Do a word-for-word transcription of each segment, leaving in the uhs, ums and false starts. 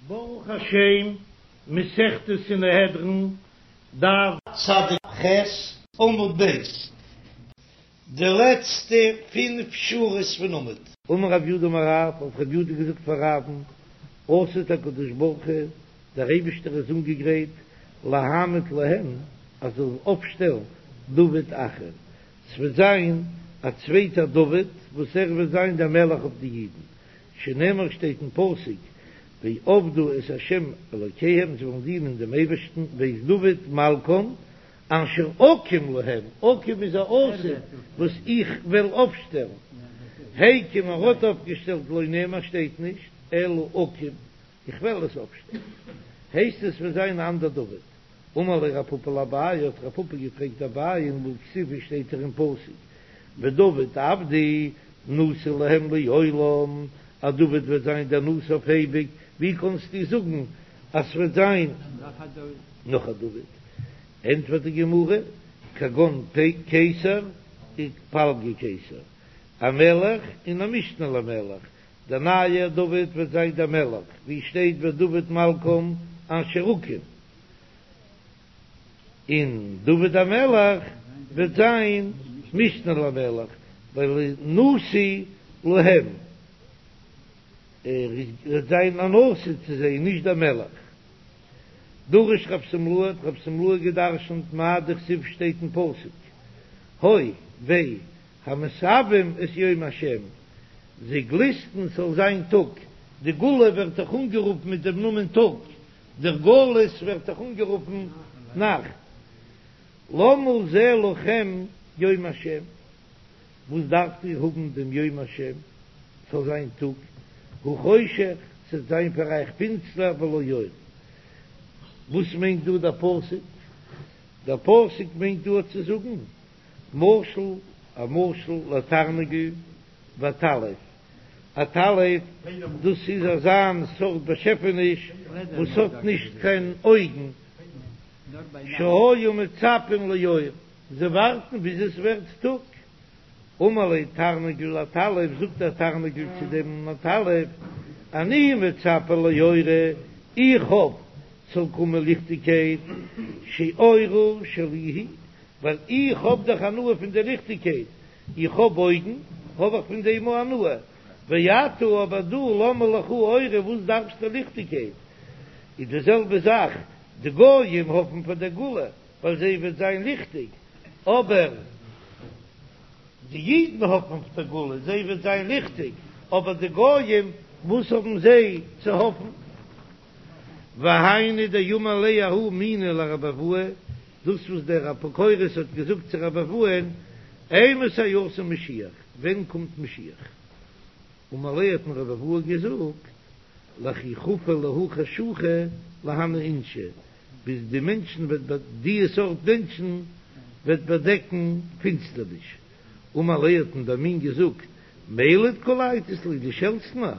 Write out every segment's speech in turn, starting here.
ברוך השם, מסכת סנהדרין, דף צדיק ח, עמוד ב', די לעצטע פינף שורות פון עמוד. אמר רב יודא אמר רב, האט רב יודא געזאגט פאר רב'ן, עתיד הקדוש ברוך הוא, דער אייבישטער איז אנגעגרייט להעמיד להם, אז ער זאל אויפשטעלן דוד אחר, ס'וועט זיין א צווייטער דוד וואס ער וועט זיין דער מלך אויף די אידן, שנאמר שטייט אין פסוק ועבדו את ה' אלוקיהם זיי וועלן דינען דעם אייבערשטן ואת דוד מלכם אשר אקים להם, אקים איז א עתיד וואס איך וועל אויפשטעלן, הקים ער האט אויפגעשטעלט לא נאמר שטייט נישט אלא אקים איך וועל עס אויפשטעלן, הייסט עס וועט זיין א אנדער דוד. אמר ליה רב פפא לאביי, האט רב פפא געפרעגט אביי, והכתיב שטייט דאך אין פסוק ודוד עבדי נשיא להם לעולם, אז דוד וועט זיין דער נשיא אויף אייביג, ווי קענסטו זאגן אז ס'וועט זיין נאך א דוד? ענטפערט די גמרא, כגון קיסר ופלגי קיסר, א מלך און א משנה למלך, דער נייער דוד וועט זיין דער מלך, ווי שטייט ודוד מלכם אשר אקים, און דוד המלך וועט זיין משנה למלך, ווייל נשיא להם, ער וועט זיין א נשיא צו זיי, נישט דער מלך. דרש רב שמלאי, האט רב שמלאי געדרשנט מאי דכתיב שטייט אין פסוק, הוי וויי המתאוים את יום השם, זיי גליסטן ס'זאל זיין טאג, די גאולה ווערט דאך אנגערופן מיט דעם נאמען טאג, דער גלות ווערט דאך אנגערופן נאכט, למה זה לכם יום השם, וואס דארפט איר האבן דעם יום השם, ס'זאל זיין טאג, הוא חושך, ס'וועט זיין פאר אייך פינסטער ולא אור. וואס מיינט דא דער פסוק? דער פסוק מיינט דא צו זאגן, משל, א משל לתרנגול ועטלף, עטלף דאס איז אזא סארט באשעפעניש וואס האט נישט קיין אויגן, שהיו מצפים לאור, זיי ווארטן ביז עס ווערט טאג, אמר ליה תרנגול לעטלף, זאגט דער תרנגול צו דעם עטלף, אני מצפה לאורא, איך האף ס'זאל קומען ליכטיגקייט, שאורה שלי היא, ווייל איך האב דאך הנאה פון די ליכטיגקייט, איך האב אויגן, האב איך פון דעם הנאה, ואתה אבער דו למה לך אורא, וואס דארפסטו ליכטיגקייט? איז די זעלבע זאך, די גויים האפן פאר דער גאולה, ווייל זיי וועט זיין ליכטיג, אבער די אידן האפן אויף דער גאולה, זיי וועט זיין ליכטיג, אבער די גויים, וואס האבן זיי צו האפן? והיינו דאמר ליה ההוא מינא לרבי אבהו, דאס וואס דער אפיקורס האט געזאגט צו רבי אבהו'ן, אימתי אתי משיח, ווען קומט משיח? אמר ליה האט אים רבי אבהו געזאגט, לכי חפו להו חשוכא להנהו אינשי, ביז די מענטשן וועט די סארט מענטשן וועט באדעקן פינסטערניש. אמר ליה האט אים דער מין געזאגט, מילד קא לייטת לי, דו שעלטסט מיר?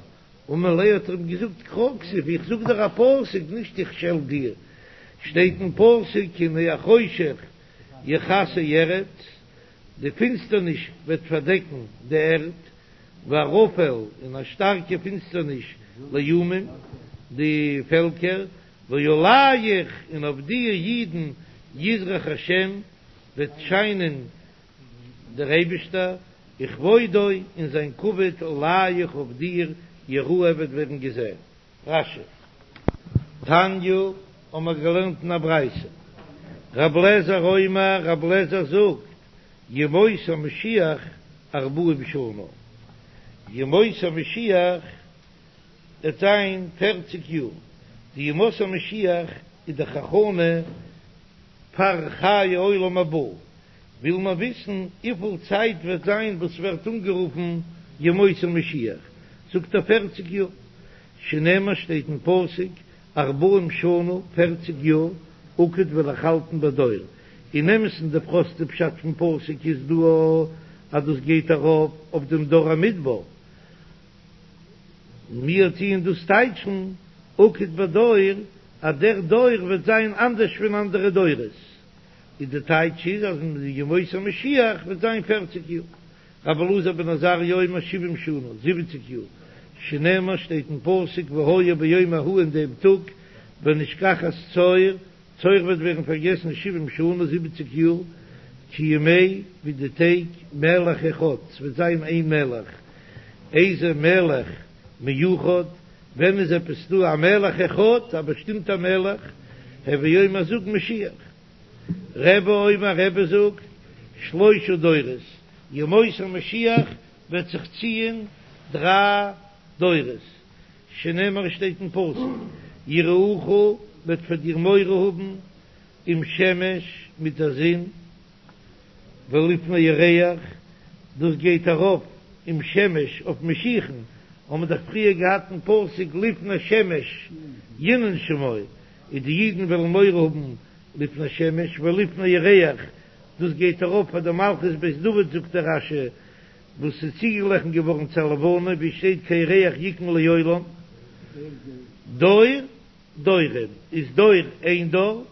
אמר ליה האט ער אים געזאגט קרא כתיב, איך זאג דיר א פסוק נישט איך שעלט דיר, שטייט אין פסוק כי הנה החושך יכסה ארץ, די פינסטערניש וועט פארדעקן די ערד, וערפל און א שטארקע פינסטערניש לאומים, די פעלקער, ועליך און אויף דיר אידן יזרח השם וועט שיינען דער אייבישטער, וכבודו און זיין כבוד עליך אויף דיר יראה וועט ווערן געזען. רש"י. תניא, האבן מיר געלערנט אין א ברייתא, רב לעזער אומר, רב לעזער זאגט, ימות המשיח ארבעים שנה, ימות המשיח וועט זיין פערציג יאר, די ימות המשיח איז דאך הכנה פאר חיי עולם הבא, וויל מען וויסן וויפיל צייט וועט זיין וואס ווערט אנגערופן ימות המשיח, זאגט ער פערציג יאר, שנאמר שטייט אין פסוק ארבעים שנה פערציג יאר אקוט וועל איך האלטן בדור, אין אמת'ן די פראסטע פשט פון פסוק איז דא אז דאס גייט ארויף אויף דעם דור המדבר, מיר טוען דאס טייטשן אקוט בדור אז דער דור וועט זיין אנדערש פון אנדערע דורות. איז די טייטש איז אז אין די ימות המשיח וועט זיין פערציג יאר, רבי אלעזר בן עזריה אומר שבעים שנה, זיבעציג יאר, שנאמר שטייט אין פסוק והיה ביום ההוא אין דעם טאג ונשכחת צור, צור וועט ווערן פארגעסן שבעים שנה זיבעציק יאר, כימי ווי די טעג מלך אחד, ס'וועט זיין איין מלך, איזה מלך מיוחד, ווען איז עפעס דא א מלך אחד, א באשטימטע מלך, הוי אומר זאג משיח. רבי אומר רבי זאגט, שלושה דורות, ימות המשיח וועט זיך ציען דריי דורות, שנאמר שטייט אין פסוק, יראוך מ'וועט פאר דיר מורא האבן, עם שמש מיט דער זון, ולפני ירח, דאס גייט ארויף עם שמש אויף משיח'ן, האבן מיר דאך פריער געהאט אין פסוק לפני שמש ינון שמו, און די אידן וועלן מורא האבן לפני שמש ולפני ירח, דאס גייט ארויף פאר די מלכות בית דוד זאגט דער רש"י, וואס איז צוגעגליכן געווארן צו א לבנה, ווי שטייט כירח יקום לעולם, דור דורים איז דור איין דור,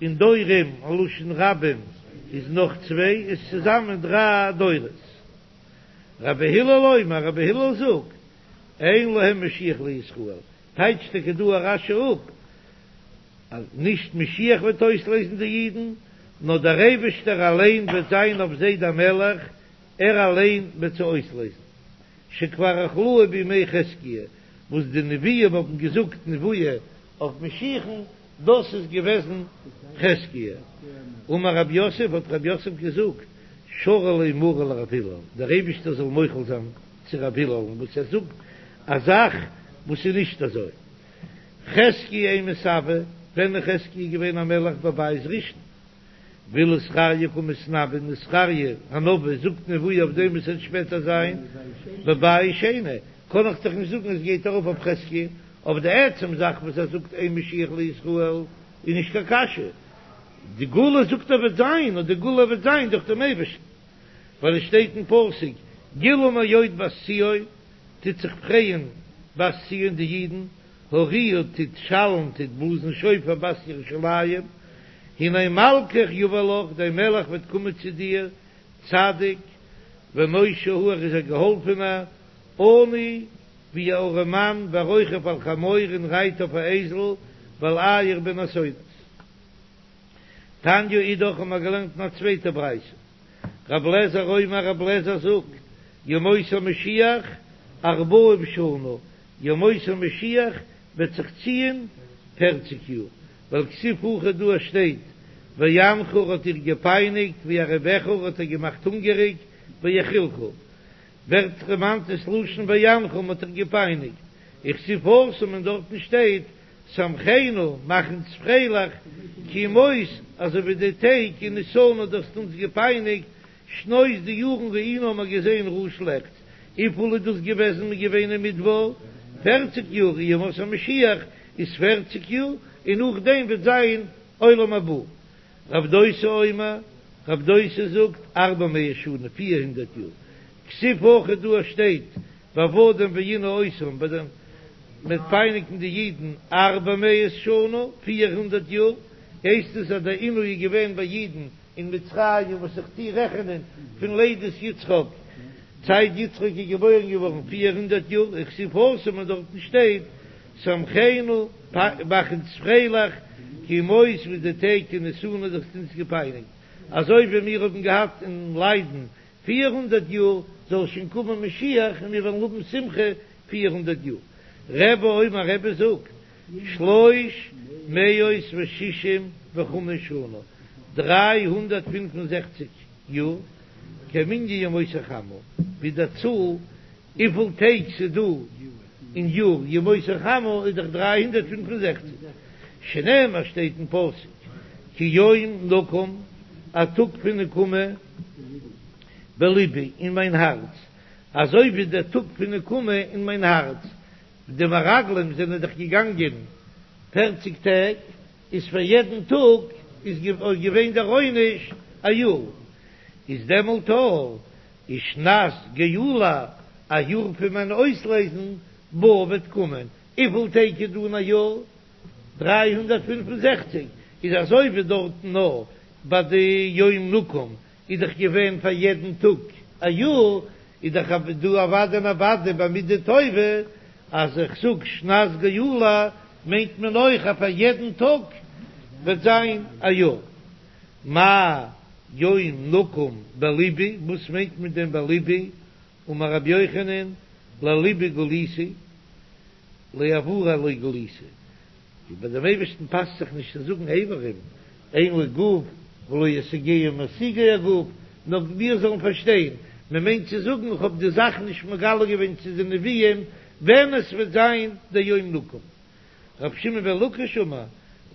און דורים א לשון רבים איז נאך צוויי, איז צוזאמען דריי דורות. רבי הלל אומר, רבי הלל זאגט, אין להם משיח לישראל, טייטשט טאקע דא א רש"י אפ, אז נישט משיח וועט אויסלייזן די אידן, נאר דער אייבערשטער אליין וועט זיין אויף זיי דער מלך, ער אליין וועט זיי אויסלייזן. שכבר אכלוהו בימי חזקיה, וואס די נביאים האבן געזאגט נבואה אויף משיח'ן, דאס איז געוועזן חזקיה. אמר רב יוסף, האט רב יוסף געזאגט, שרא ליה מריה לרב הלל, דער אייבערשטער זאל מוחל זיין צו רב הלל'ן וואס ער זאגט א זאך וואס איז נישט אזוי. חזקיה אימת הוה, ווען איז חזקיה געווען א מלך בבית ראשון? ואילו זכריה קא מתנבא און זכריה הנביא זאגט נבואה אויף דעם וואס וועט שפעטער זיין בבית שני, קען איך דאך נישט זאגן עס גייט ארויף אויף חזקיה, אבער די עצם זאך וואס ער זאגט אין משיח לישראל איז נישט קיין קשיא, די גאולה זאגט ער וועט זיין, און די גאולה וועט זיין דורך דעם אייבערשטן, ווייל עס שטייט אין פסוק גילה מאוד בת ציון, טוט זיך פרייען בת ציון די אידן, הריעו טוט שאלן טוט בלאזן שופר בת ירושלים, הנה מלכך יבא לך, דיין מלך וועט קומען צו דיר, צדיק ונושע הוא, ער איז א געהאלפענער, עני ווי א ארעמאן, ורוכב על חמור און רייט אויף א אייזל, ועל עיר בן אתונות. תניא אידך האבן מיר געלערנט אין א צווייטע ברייתא, רב לעזער אומר רב לעזער זאגט, ימות המשיח ארבעים שנה, ימות המשיח וועט זיך ציען פערציג יאר, ווייל כתיב הכא דא שטייט ויענך האט דיר געפייניגט וירעיבך האט ער געמאכט הונגעריג ויאכילך ווערט דערמאנט דאס לשון ויענך מ'האט דיך געפייניגט וכתיב התם און דארטן שטייט שמחנו מאך אונז פרייליך כימות אזוי ווי די טעג עניתנו דו האסט אונז געפייניגט שנות די יארן ראינו האבן מיר געזען רעה שלעכטס, וויפיל איז דאס געוועזן מ'איז געווען אין מדבר פערציג יאר, ימות המשיח איז פערציג יאר, און נאכדעם וועט זיין עולם הבא. רב דוסא אומר, רב דוסא זאגט ארבע מאות שנה, פיר הונדערט יאר, כתיב הכא דא שטייט ועבדום וענו אותם ביי דעם מ'וועט פייניגן די אידן ארבע מאות שנה, פיר הונדערט יאר, הייסט עס אז דער עינוי איז געווען ביי אידן אין מצרים וואס איך טוה רעכענען פון לידת יצחק, זייט יצחק איז געבוירן געווארן פֿיר הונדערט יאר, וכתיב התם און דארטן שטייט שמחנו מאך אונז פרייליך כימות ווי די טעג עניתנו דו האסט אונז געפייניגט, אזוי ווי מיר האבן געהאט אין ליידן פֿיר הונדערט יאר, זאל שוין קומען משיח און מיר וועלן האבן שמחה פֿיר הונדערט יאר. רבי אומר רבי זאגט שלוש מאות ושישים וחמש שנה, דריי הונדערט פֿינף און זעכציק יאר, כמנין ימות החמה, ווי די צאל וויפיל טעג ס'איז דא אין יאר ימות החמה איז דאך דריי הונדערט פֿינף און זעכציק, שנאמר שטייט אין פסוק כי יום נקם, א טאג פון נקמה, בלבי, אין מיין הארץ, אזוי ווי דער טאג פון נקמה אין מיין הארץ, די מרגלים זענען דאך געגאנגען פערציג טעג, איז פאר יעדן טאג איז געווען דער עונש א יאר, איז דעמאלט איז שנת גאולה א יאר פון מיין אויסלייזן באה וועט קומען, וויפיל טעג איז דא אין א יאר? דרײַ הונדערט פֿינף און זעכציק, איז אזוי ווי דארטן נאר ביי די יום נקם איז דאך געווען פאר יעדן טאג א יאר, איז דאך דא אוודאי און אוודאי ביי מידה טובה אז איך זאג שנת גאולה מיינט מען אויך אז פאר יעדן טאג וועט זיין א יאר. מאי יום נקום בלבי, וואס מיינט מען דעם בלבי? אמר רבי יוחנן, ללבי גליתי, לאברי לא גליתי, און ביי דעם אייבערשטן פאסט זיך נישט צו זאגן איברים, אין לו גוף ולא ישיגהו משיגי הגוף, נאר מיר זאלן פארשטיין, מען מיינט צו זאגן איך האב די זאך נישט מגלה געווען צו די נביאים ווען עס וועט זיין דער יום נקום. רבי שמעון בן לקיש אמר,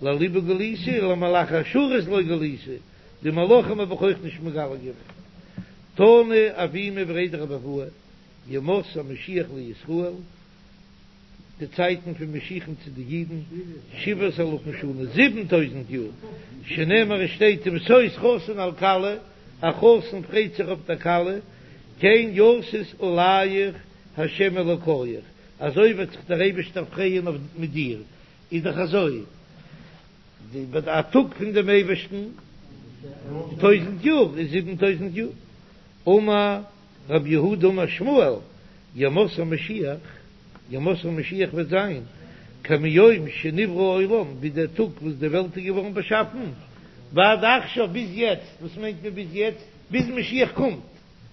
ללבי גליתי למלאכי השרת לא גליתי, די מלאכים האב איך אויך נישט מגלה געווען. תנא אבימי בריה דרב אבוה, ימות המשיח לישראל, די צייטן פון משיח'ן צו די אידן, שבעת אלפים שנה, זיבן טויזנט יאר, שנאמר עס שטייט אם משוש חתן על כלה, א חתן פרייט זיך אויף דער כלה, כן ישיש עליך ה' אלוקיך, אזוי וועט זיך דער אייבערשטער פרייען אויף מיט דיר, איז דאך אזוי, א טאג פון דעם אייבערשטן, טויזנט יאר איז זיבן טויזנט יאר, אמר רב יהודה אמר שמואל, ימות המשיח, ימות המשיח וועט זיין, כמיום שנברא העולם, ווי דער טאג וואס די וועלט איז געווארן באשאפן, ועד עכשיו, ביז יעצט, וואס מיינט מען ביז יעצט? ביז משיח קומט,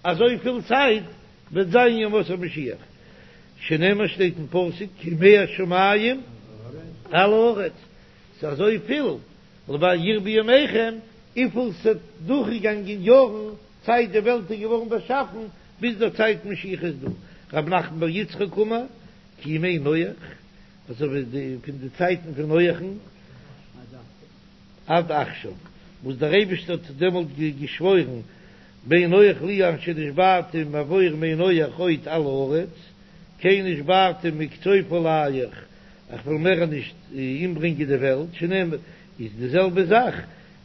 אזויפיל צייט וועט זיין ימות המשיח, שנאמר שטייט אין פסוק כימי השמים על הארץ, ס'איז אזויפיל, למען ירבו ימיכם, וויפיל ס'האט דורכגעגאנגען יארן צייט די וועלט איז געווארן באשאפן ביז דער צייט משיח איז דא, רב נחמן בר יצחק אמר, כימי נח, אזוי ווי די פון די צייטן פון נח'ן עד עכשיו, וואס דער אייבערשטער האט דעמאלט געשוואוירן בין נח לי אשר נשבעתי מעבור מי נח עוד על הארץ, כן נשבעתי מקצוף עליך, איך וועל מער נישט אומברענגען די וועלט, שנאמר, איז די זעלבע זאך,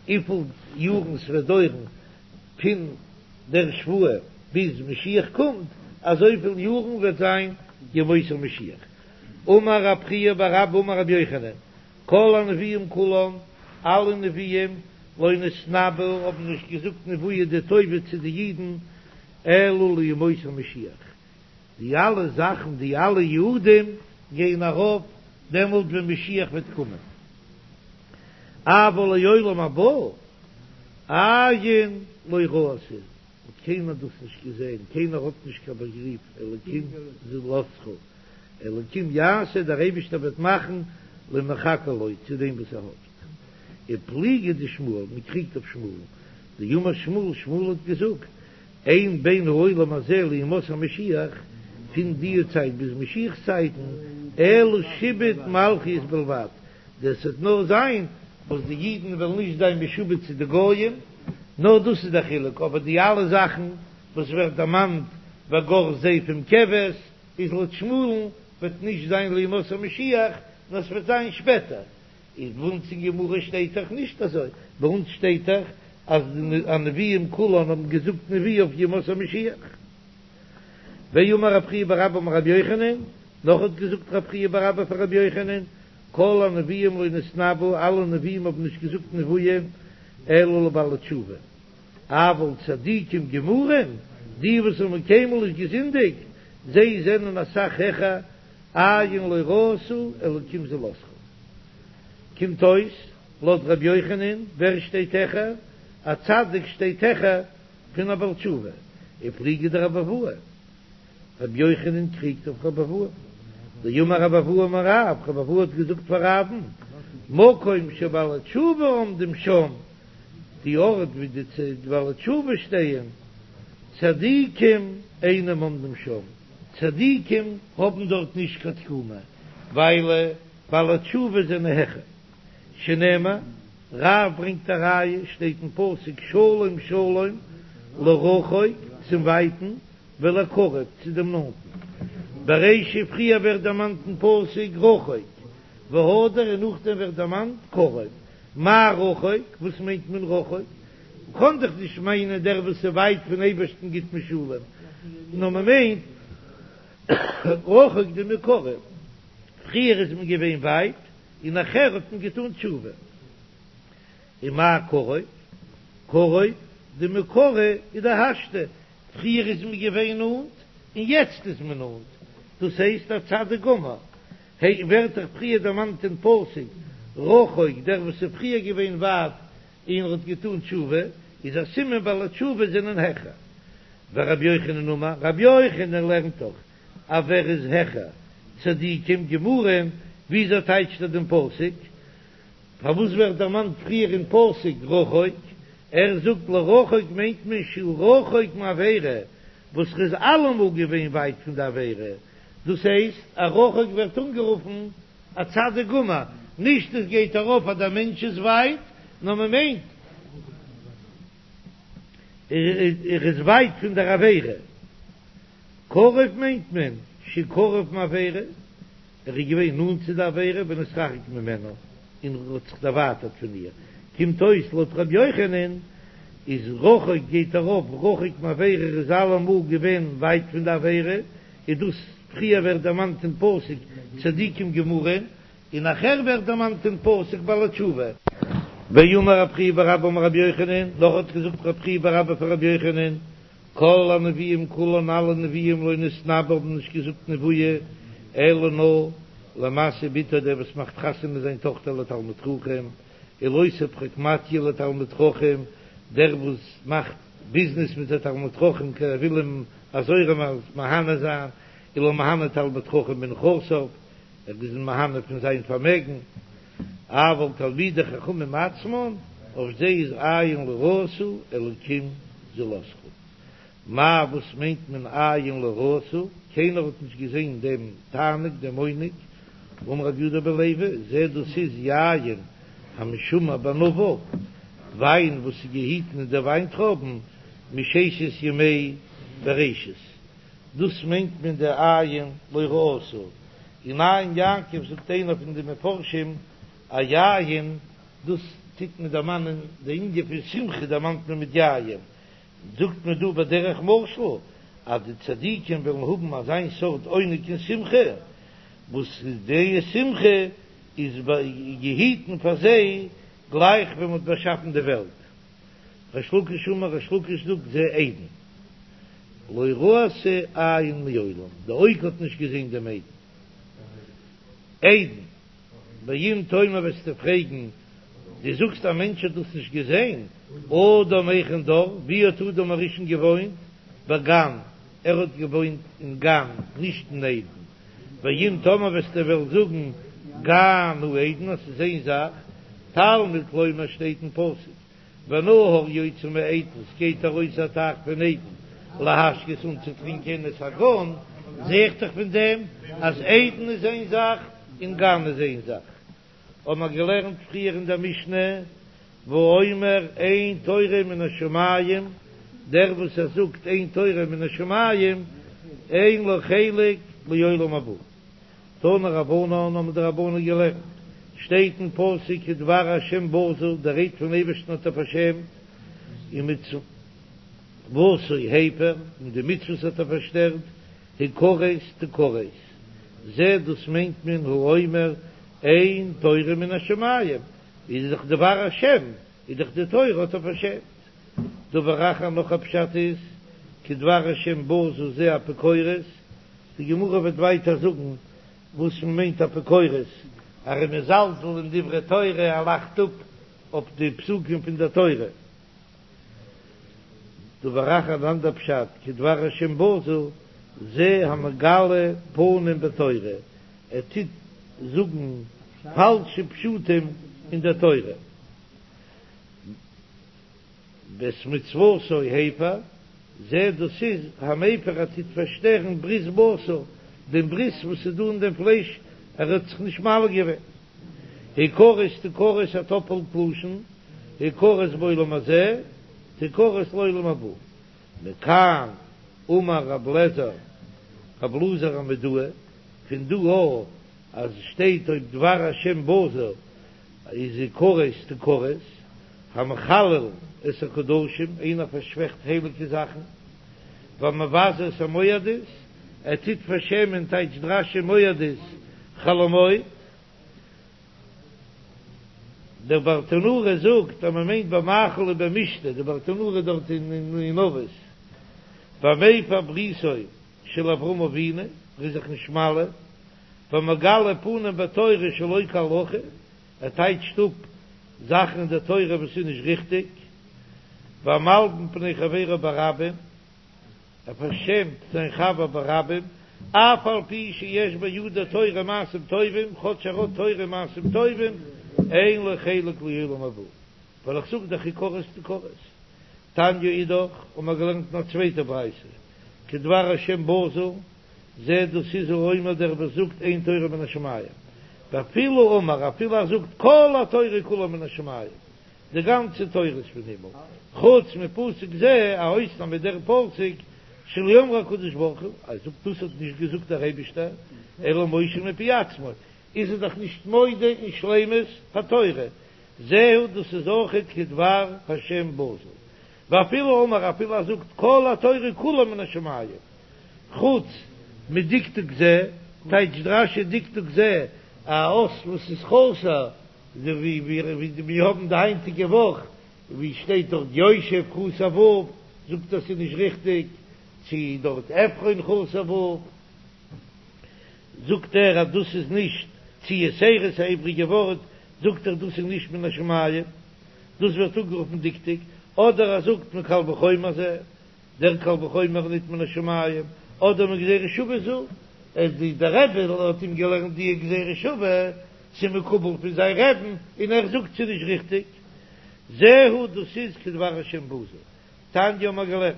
וויפיל יארן ס'וועט דויערן פון דער שבועה ביז משיח קומט, אזויפיל יארן וועט זיין ימות המשיח. אמר רב חייא בר אבא אמר רבי יוחנן, כל הנביאים כולם, אלע נביאים, לא נתנבאו האבן נישט געזאגט נבואה דטובה צו די אידן, אלא לימות המשיח. די אלע זאכן, די אלע יעודים גייען ארויף דעמאלט ווען משיח וועט קומען. אבל לעולם הבא עין לא ראתה, האט קיינער דאס נישט געזען, קיינער האט נישט קיין באגריף, אלקים זולתך, אלקים יעשה, דער אייבישטער וועט מאכן למחכה לו, צו דעם וואס ער האפט. ופליגא דשמואל, מען קריגט אויף שמואל'ן, דאמר שמואל, שמואל האט געזאגט, אין בין העולם הזה לימות המשיח, פון די צייט ביז משיח'ס צייטן, אלא שעבוד מלכיות בלבד, דאס וועט נאר זיין וואס די אידן וועלן נישט זיין משועבד צו די גויים, נאר דאס איז דער חילוק, אבער די אלע זאכן וואס ווערט דערמאנט וגר זאב עם כבש, איז לויט שמואל'ן וועט נישט זיין לימות המשיח, נאר עס וועט זיין שפעטער. איז ביי אונז אין גמרא שטייט דאך נישט אזוי, ביי אונז שטייט דאך אז די הנביאים כולן האבן געזאגט נבואה אויף ימות המשיח. ואמר רב חייא בר אבא אמר רבי יוחנן, נאך האט געזאגט רב חייא בר אבא פאר רבי יוחנן, כל הנביאים לא נתנבאו, אלע נביאים האבן נישט געזאגט נבואה אלא לבעלי תשובה, אבל צדיקים גמורים, די וואס האבן קיינמאל נישט געזינדיגט, זיי זענען אסאך העכער, עין לא ראתה אלקים זולתך. קומט אויס, לויט רבי יוחנן, ווער שטייט העכער? א צדיק שטייט העכער פון א בעל תשובה, ופליגא דרבי אבהו, רבי יוחנן קריגט אויף רבי אבהו, דאמר רבי אבהו אמר רב, רבי אבהו האט געזאגט פאר רב'ן, מקום שבעלי תשובה עומדים שם, די ארט ווי די בעלי תשובה שטייען, צדיקים אינם עומדים שם, צדיקים האבן דארט נישט קיין תקומה, ווייל בעלי תשובה זענען העכער. שנאמר, רב ברענגט א ראיה, שטייט אין פסוק שלום שלום לרחוק צום ווייטן ולקרוב צו דעם נאנטן, ברישא פריער ווערט דערמאנט אין פסוק רחוק, והדר און נאכדעם ווערט דערמאנט קרוב, מאי רחוק, וואס מיינט מען רחוק? מ'קען דאך נישט מיינען דער וואס איז ווייט פון אייבערשטן גיט מען שלום, נאר מ'מיינט רחוק דמעיקרא, פריער איז מען געווען ווייט און נאכער האט מען געטאן תשובה. ומאי קרוב? קרוב דמעיקרא איז דהשתא, פריער איז מען געווען נאנט און יעצט איז מען נאנט, דאס הייסט א צדיק גמור. ה' ווערט דאך פריער דערמאנט אין פסוק רחוק, דער וואס איז פריער געווען ווייט און האט געטאן תשובה, איז א סימן בעלי תשובה זענען העכער. ורבי יוחנן אמר, רבי יוחנן לערנט דאך אז ווער איז העכער, צדיקים גמורים, וויאזוי טייטשט ער דעם פסוק? פארוואס ווערט דערמאנט פריער אין פסוק רחוק? ער זאגט לרחוק מיינט מען שהוא רחוק מעבירה, וואס ר'איז אלעמאל געווען ווייט פון די עבירה, דאס הייסט א רחוק ווערט אנגערופן א צדיק גמור, נישט עס גייט ארויף אז דער מענטש איז ווייט, נאר מען מיינט ער איז ווייט פון דער עבירה. קרוב מיינט מען שקרוב מעבירה, ער איז געווען נאנט צו די עבירה ונתרחק ממנה און האט זיך דערווייטערט פון איר, קומט אויס לויט ר' יוחנן איז רחוק גייט ארויף רחוק מעבירה ער איז אלעמאל געווען ווייט פון די עבירה, איז דאס פריער ווערט דערמאנט אין פסוק צדיקים גמורים און נאכער ווערט דערמאנט אין פסוק בעלי תשובה. ואמר רב חייא בר אבא אמר רבי יוחנן, נאך האט געזאגט רב חייא בר אבא פון רבי יוחנן, כל הנביאים כולן אלע נביאים לא נתנבאו האבן נישט געזאגט נבואה אלא נאר למשיא בתו דער וואס מאכט חתונה זיין טאכטער לתלמיד חכם ולעושה פרקמטיא לתלמיד חכם דער וואס מאכט ביזנעס מיט א תלמיד חכם כי ער וויל אים אזוי ארום מהנה זיין ולמהנה תלמיד חכם מנכסיו ער איז אים מהנה פון זיין פארמעגן אבל תלמידי חכמים עצמן, אויף זיי איז עין לא ראתה אלקים זולתך. מאי וואס מיינט מען עין לא ראתה? קיינער האט נישט געזען דעם תענוג, דעם עונג, אמר רבי יהודה בן לוי, זה דאס איז יין המשומר בענביו, וויין וואס איז געהיטן אין די וויינטרויבן מששת ימי בראשית, דאס מיינט מען די עין לא ראתה. אין עין יעקב זאגט איינער פון די מפרשים א יין, דאס טוט מען דערמאנען די ענין פון שמחה דערמאנט מען מיט יין, זאגט מען דא בדרך משל אז די צדיקים וועלן האבן אזיין סארט עונג און שמחה, וואס די שמחה איז געהיטן פאר זיי גלייך ווען מען האט באשאפן די וועלט. ריש לקיש אמר ריש לקיש זאגט זה עדן לא ראתה עין מעולם, די אויג האט נישט געזען דעם עדן. עדן, ואם תאמר וועסטו פרעגן, דו זאגסט א מענטש האט דאס נישט געזען, אדם היכן דר, ווי האט אדם הראשון געוואוינט? בגן, ער האט געוואוינט אין גן, נישט אין עדן. ואם תאמר וועסטו וועלן זאגן גן הוא עדן אז ס'איז איין זאך, תלמוד לומר שטייט אין פסוק ונהר יוצא מעדן ס'גייט ארויס א טייך פון עדן להשקות אנצוטרינקען את הגן, זע איך דאך פון דעם אז עדן איז איין זאך און גן איז איין זאך. האבן מיר געלערנט פריער אין דער משנה, והאומר אין תורה מן השמים, דער וואס ער זאגט אין תורה מן השמים, אין לו חלק לעולם הבא. תנו רבנן האבן די רבנן געלערנט, שטייט אין פסוק כדבר השם בזה, די רייד פון אייבערשטן האט ער פארשעמט, ומצותו הפר, און די מצוות האט ער פארשטערט, הכרת תכרת, זה דאס מיינט מען האומר אין תורה מן השמים, איז דאך דבר השם, איז דאך די תורה האט ער פארשעמט. דבר אחר נאך א פשט איז, כדבר השם בזה זה אפיקורס, די גמרא וועט ווייטער זאגן וואס מען מיינט אפיקורס, ער איז מזלזל אין דברי תורה, ער לאכט אפ אויף די פסוקים פון דער תורה. דבר אחר אן אנדער פשט, כדבר השם בזה, זה המגלה פנים בתורה, ער טוט זאגן פאלשע פשטים אין דער תורה. ואת מצותו הפר, זה דאס איז המפר ער טוט פארשטערן ברית בשר, דעם ברית וואס איז דא אין דעם פלייש, ער האט זיך נישט מל געווען. הכרת תכרת א טאפעלט לשון, הכרת בעולם הזה, תכרת לעולם הבא. מכאן אמר רב לעזר, רב אלעזר המודעי, פון דא א אז שטייט אויב דבר השם בזה איז הכרת תכרת, המחלל את הקדשים, איינער פארשוועכט הייליגע זאכן, והמבזה את המועדות, ער טוט פארשעמען טייטשט רש"י מועדות חול המועד. דער ברטנורא זאגט אז מען מיינט במאכל ובמשתה, די ברטנורא דארט אין אבות, והמפר בריתו של אברהם אבינו, ער איז זיך נישט מל, והמגלה פנים בתורה שלא כהלכה, ער טייטשט אפ זאכן אין דער תורה וואס איז נישט ריכטיג, והמלבין פני חברו ברבים, ער פארשעמט זיין חבר ברבים, אף על פי שיש בידו תורה ומעשים טובים, כאטש ער האט תורה ומעשים טובים, אין לו חלק לעולם הבא, ווייל איך זאג דאך הכרת תכרת. תניא אידך, האבן מיר געלערנט אין א צווייטע ברייתא, כדבר השם בזוי, זה דאס איז האומר דער וואס זאגט אין תורה מן השמים, ואפילו אמר אפילו ער זאגט כל התורה כולה מן השמים, די גאנצע תורה איז פון הימל, חוץ מפסוק זה, א אויסנאם איז דער פסוק שלא אמרו הקדוש ברוך הוא, ער זאגט דאס האט נישט געזאגט דער אייבישטער, אלא משה מפי עצמו, איז ער דאך נישט מודה אין שלימות התורה, זהו דאס איז אויכעט כדבר השם בזוי, ואפילו אמר אפילו ער זאגט כל התורה כולה מן השמים, חוץ מדקדוק זה, טייטשט רש"י דקדוק זה א אות וואס איז חסר, אזוי ווי מיר האבן די היינטיגע וואך ווי שטייט דארט יושב חסר ו' זאגט ער ס'איז נישט ריכטיג, צו דארט עפרון חסר ו' זאגט ער אז דאס איז נישט, צו יתירות א איבריגע ווארט זאגט ער דאס איז נישט מן השמים, דאס ווערט אנגערופן דקדוק, אדער ער זאגט מקל וחומר זה. דער קל וחומר ניט מן השמים, אדער מגזירה שוה זו, אז די דער רבי האט אים געלערנט די גזירה שוה, ס'איז מקובל פון זיין רעבן, און ער זאגט ס'איז נישט ריכטיג. זהו דאס איז כדבר השם בזוי. תניא האבן מיר געלערנט.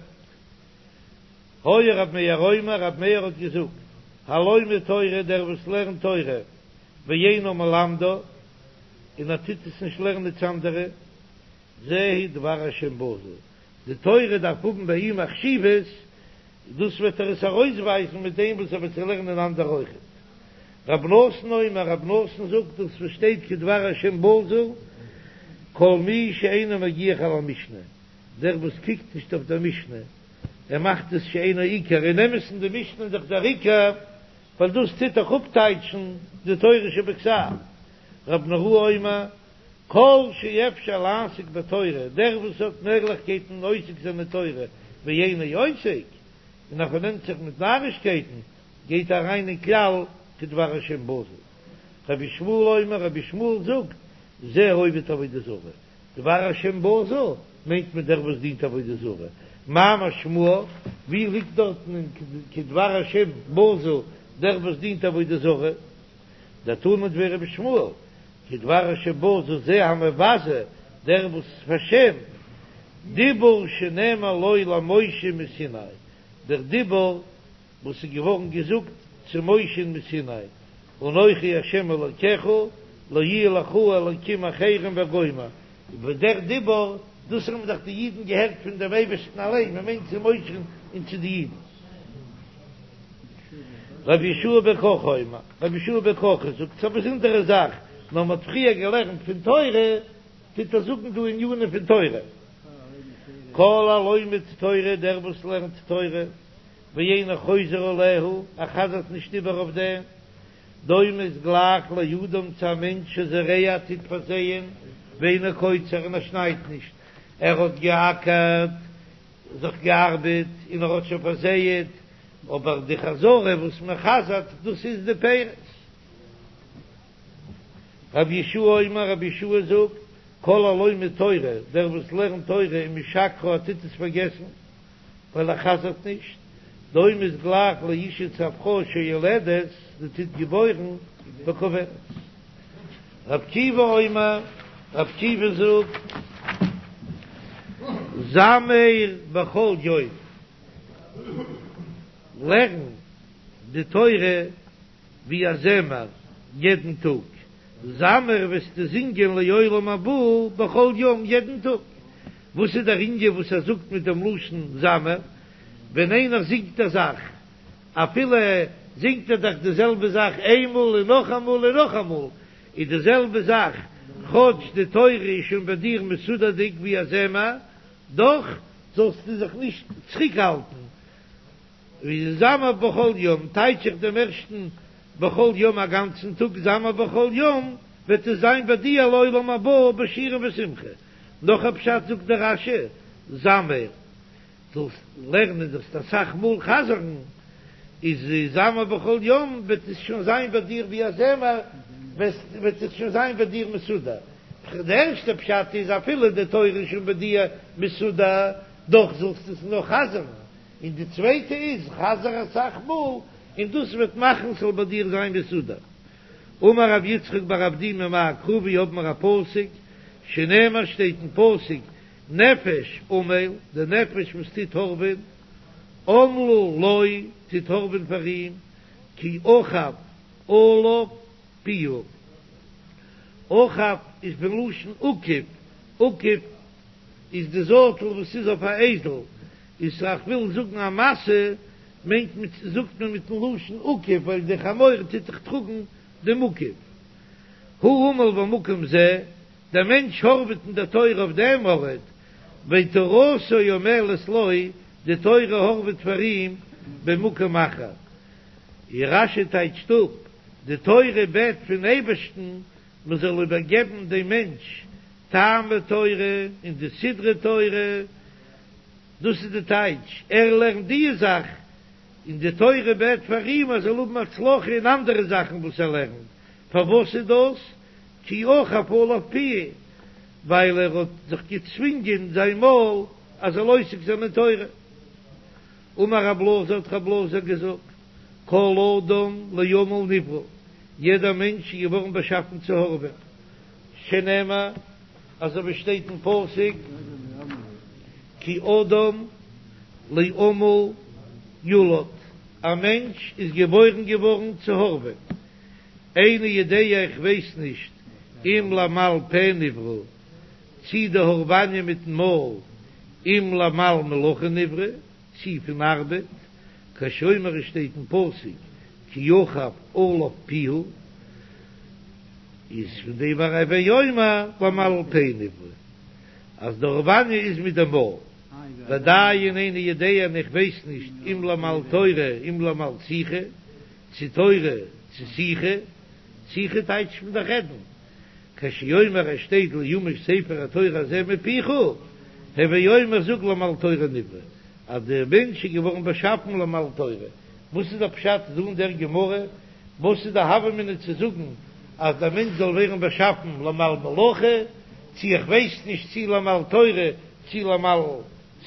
היה רב מאיר אומר, רב מאיר האט געזאגט, הלומד תורה, דער וואס לערנט תורה, ואינו מלמדה, און ער טוט עס נישט לערנען צו אנדערע, זהו דבר השם בזוי, די תורה דארף האבן ביי אים א חשיבות, דאס וועט ער עס ארויסווייזן מיט דעם וואס ער וועט זי לערנען אנדערע אויכעט. רב נתן אומר, רב נתן זאגט דאס וואס שטייט כדבר השם בזוי, כל מי שאינו מגיח על המשנה, דער וואס קוקט נישט אויף דער משנה, ער מאכט עס שאינו עיקר, אין אמת'ן די משנה איז דאך דער עיקר, ווייל דאס טוט דאך אפטייטשן די תורה שבכתב. רב נהוראי אומר, כל שאפשר לעסוק בתורה, דער וואס האט מעגליכקייטן עוסק זיין אין תורה, ואינו עוסק, און ער פארנעמט זיך מיט נארישקייטן, גייט אריין אין כלל כדבר השם בזוי. רבי ישמעאל אומר, רבי ישמעאל זאגט, זה העובד עבודה זרה. דבר השם בזוי מיינט מען דער וואס דינט עבודה זרה. מה משמעה? ווי ליגט דארטן אין כדבר השם בזוי דער וואס דינט עבודה זרה? דתנא דבי רבי ישמעאל, כדבר השם בזוי זה המבזה, דער וואס פארשעמט, דיבור שנאמר לו למשה מסיני, דער דיבור וואס איז געווארן געזאגט צו משה'ן מסיני, אנכי השם אלקיך, לא יהיה לך אלקים אחרים וגומר, איבער דער דיבור, דאס האבן דאך די אידן געהערט פון דעם אייבערשטן אליין, מען מיינט צו משה'ן און צו די אידן. רבי יהושע בן קרחה אומר, רבי יהושע בן קרחה זאגט, ס'איז א באזונדערע זאך, נאר מ'האט פריער געלערנט פון תורה, טוט ער זאגן דא ענינים פון תורה. כל הלומד תורה, דער וואס לערנט תורה, ואינו חוזר עליה, ער חזר'ט נישט איבער אויף דעם, דומה איז גלייך לאדם צו א מענטש שזורע טוט פארזייען, ואינו קוצר און ער שניידט נישט, ער האט געאקערט, זיך געארבעט און ער האט שוין פארזייעט, אבער די חזרה וואס מען חזר'ט דאס איז די פירות. רבי יהושע אומר, רבי יהושע זאגט, כל הלומד תורה, דער וואס לערנט תורה ומשכחה ער טוט עס פארגעסן, ווייל ער חזר'ט נישט, דומה איז גלייך לאשה צו א פרוי שיולדת, זי טוט געבוירן, וקוברת. רבי עקיבא אומר, רבי עקיבא זאגט, זמר בכל יום, לערן די תורה ווי א זמר יעדן טאג, זמר וועסטו זינגען לעולם הבא בכל יום יעדן טאג. וואס איז דער ענין וואס ער זאגט מיט דעם לשון זמר? ווען איינער זינגט א זאך, אפילו זינגט ער דאך די זעלבע זאך איינמאל און נאכאמאל און נאכאמאל, איז די זעלבע זאך, כאטש די תורה איז שוין ביי דיר מסודר'דיג ווי א זמר, דאך זאלסטו זיך נישט צוריקהאלטן, ווי זמר בכל יום, טייטש איך דעם ערשטן בכל יום א גאנצן טאג, זמר בכל יום, וועט עס זיין ביי דיר לעולם הבא בשירה ושמחה. נאך א פשט זאגט דער רש"י, זמר, זאלסט לערנען, זאלסט אסאך מאל חזר'ן, איז זמר בכל יום וועט עס שוין זיין ביי דיר ווי א זמר, וועט עס שוין זיין ביי דיר מסודר. די ערשטע פשט איז אפילו די תורה איז שוין ביי דיר מסודר, דאך זאלסטו עס נאך חזר'ן, און די צווייטע איז חזר אסאך מאל און דאס וועט מאכן ס'זאל ביי דיר זיין מסודר. אמר רב יצחק בר אבדימי מאי קרא ווי האבן מיר א פסוק שנאמר שטייט אין פסוק נפש עמל די נפש וואס טוט הארעווען עמלה לו טוט הארעווען פאר אים כי אכף עליו פיהו אכף איז פון לשון אוכף אוכף איז די זאטל וואס איז אויף א אייזל איז איך וויל זאגן א משא מיינט מען זאגט מען מיטן לשון אוכף ווייל די חמור טוט דאך טראגן דעם אוכף. הוא עמל במקום זה, דער מענטש הארעוועט אין דער תורה אויף דעם ארט, ותורתו עמלת לו, די תורה הארעוועט פאר אים במקום אחר. ווי רש"י טייטשט אפ, די תורה בעט פון אייבערשטן מען זאל איבערגעבן דעם מענטש טעמי תורה און די סדרי תורה, דאס איז די טייטש, ער לערנט די זאך, און די תורה בעט פאר אים ער זאל האבן הצלחה אין אנדערע זאכן וואס ער לערנט, פארוואס איז דאס? כי אכף עליו פיהו, ווייל ער האט זיך געצווינגען זיין מויל ער זאל עוסק זיין אין תורה. אמר רב אלעזר האט רב אלעזר געזאגט, כל אדם לעמל נברא, יעדער מענטש איז געווארן באשאפן צו הארעווען, שנאמר, אזוי ווי שטייט אין פסוק, כי אדם לעמל יולד, א מענטש איז געבוירן געווארן צו הארעווען, איני יודע איך ווייס נישט אם לעמל פה נברא, צי די הארעוואניע מיטן מויל, אם לעמל מלאכה נברא, צי פון ארבעט, כשהוא אומר עס שטייט אין פסוק כי אכף עליו פיהו, איז פון דעם הוי אומר לעמל פה נברא אז די הארעוואניע איז מיט די מויל, ועדיין איני יודע און איך ווייס נישט אם לעמל תורה אם לעמל שיחה, צו תורה צו שיחה, שיחה טייטשט מען דאך רעדן, כשהוא אומר עס שטייט לא ימוש ספר התורה הזה מפיך, הוי אומר זאג לעמל תורה נברא, אז דער מענטש איז געווארן באשאפן לעמל תורה, וואס איז דער פשט דא אין דער גמרא? וואס איז די הוה אמינא צו זאגן אז דער מענטש זאל ווערן באשאפן לעמל מלאכה, צו איך ווייס נישט צו לעמל תורה צו לעמל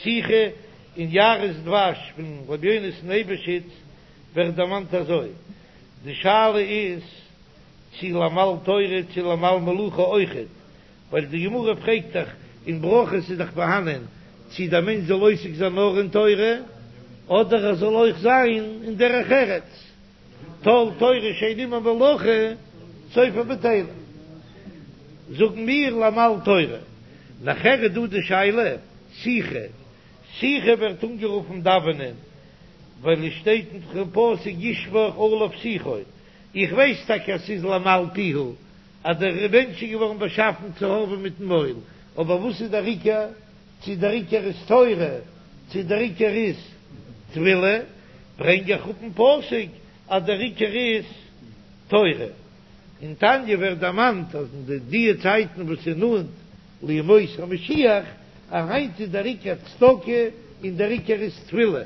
שיחה, אין יערות דבש פון רבי יונתן אייבשיץ ווערט דערמאנט אזוי, די שאלה איז צו לעמל תורה צו לעמל מלאכה אויכעט, ווייל די גמרא פרעגט דאך אין ברכות איז דאך פארהאנען צו דער מענטש זאל עוסק זיין נאר אין תורה אדער ער זאל אויך זיין אין דרך ארץ, כל תורה שאין עמה מלאכה סופה בטלה, זאגן מיר לעמל תורה, נאכער איז דא די שאלה שיחה, שיחה ווערט אנגערופן דאווענען ווייל עס שטייט אין פסוק ישפוך עליו שיחו, איך ווייס טאקע אז ס'איז לעמל פיהו אז דער מענטש איז געווארן באשאפן צו הארעווען מיטן מויל, אבער וואס איז דער עיקר? צו דער עיקר איז תורה, צו דער עיקר איז תפילה, ברענג איך אפן פסוק אז דער עיקר איז תורה. אין תניא ווערט דערמאנט אז אין די די צייטן וואס איז נאנט לימות המשיח, אז היינט איז דער עיקר צדקה און דער עיקר איז תפילה.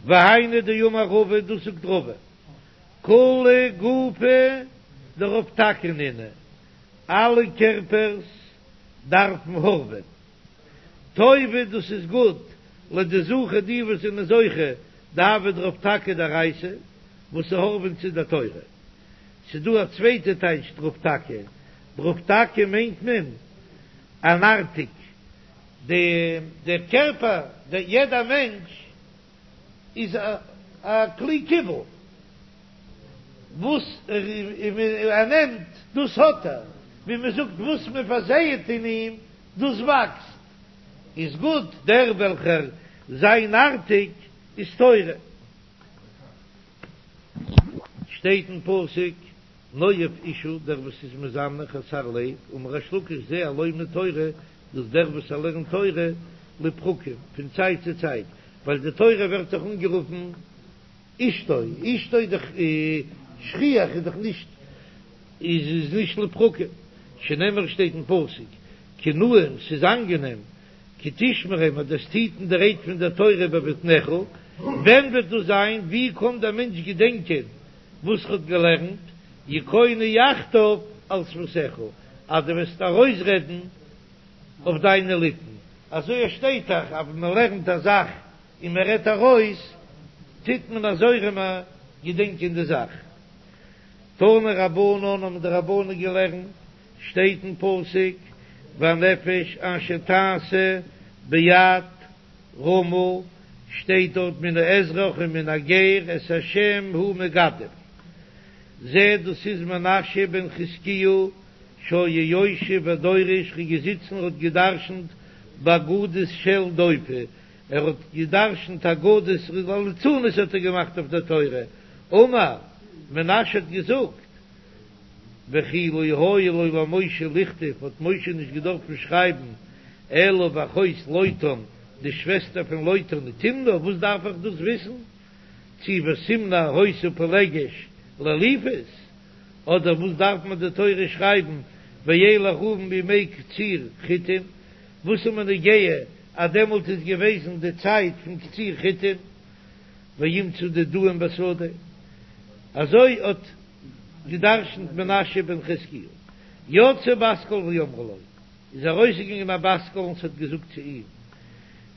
והיינו דאמר רבא, דאס זאגט רבא, כוליה גופי דרוב טקא נינהו, אלע קערפערס דארפן הארעווען. טובא דאס איז גוט לדזכי די וואס זענען זוכה דהוו דרוב טקא דאורייתא וואס הארעווען צו דער תורה. ס'דא א צווייטע טייטש דרוב טקא, דרוב טקא מיינט מען אן ארטיק, די דער קערפער, יעדע מענטש איז א כלי קיבול, וואס ער נעמט דאס האט ער, ווי מען זאגט וואס מען פארזייעט אין אים דאס וואקסט, איז גוט דער וועלכער זיין ארטיק איז תורה. שטייט אין פסוק נואף אשה דער וואס איז מזנה חסר לב, אמר ריש לקיש זה הלומד תורה, דאס דער וואס ער לערנט תורה לפרקים פון צייט צו צייט, ווייל די תורה ווערט דאך אנגערופן אשתו, אשתו איז דאך שכיח איז דאך נישט איז נישט לפרקים, שנאמר שטייט אין פסוק כי נעים ס'איז אנגענעם כי תשמרם אז דו וועסט היטן די רייד פון דער תורה בבטנך ווען וועט דאס זיין? ווי קען דער מענטש געדענקען וואס ער האט געלערנט? יכונו יחדיו על שפתיך, אז דו וועסט ארויסרעדן אויף דיינע ליפן, אזוי עס שטייט דאך אז ווען מען לערנט א זאך און מען רעדט ארויס, טוט מען אזוי ארום געדענקען די זאך. תנו רבנן האבן די רבנן געלערנט, שטייט אין פסוק, והנפש אשר תעשה ביד רמה, שטייט דארט מן האזרח ומן הגר את השם הוא מגדף, זה דאס איז מנשה בן חזקיהו שהיה יושב ודורש ער איז געזיצן און האט געדרשנט באגדות של דופי, ער האט געדרשנט אגדות ליצנות האט ער געמאכט אויף דער תורה, אמר, מנשה האט געזאגט, וכי לא היה לו למשה לכתוב, האט משה נישט געדארפן שרייבן, אלא ואחות לוטן, די שוועסטער פון לוטן היא תמנע, וואס דארף איך דאס וויסן? צי ותמנע היתה פילגש לאליפז, אדער וואס דארף מען די תורה שרייבן וילך ראובן בימי קציר חיטים, וואס איז מיר נוגע אז דעמאלט איז געוועזן די צייט פון קציר חיטים, וימצא דודאים בשדה, אזוי האט געדרשנט מנשה בן חזקיהו. יצאה בת קול ואמרה לו, איז ארויסגעגאנגען א בת קול און ס'האט געזאגט צו אים,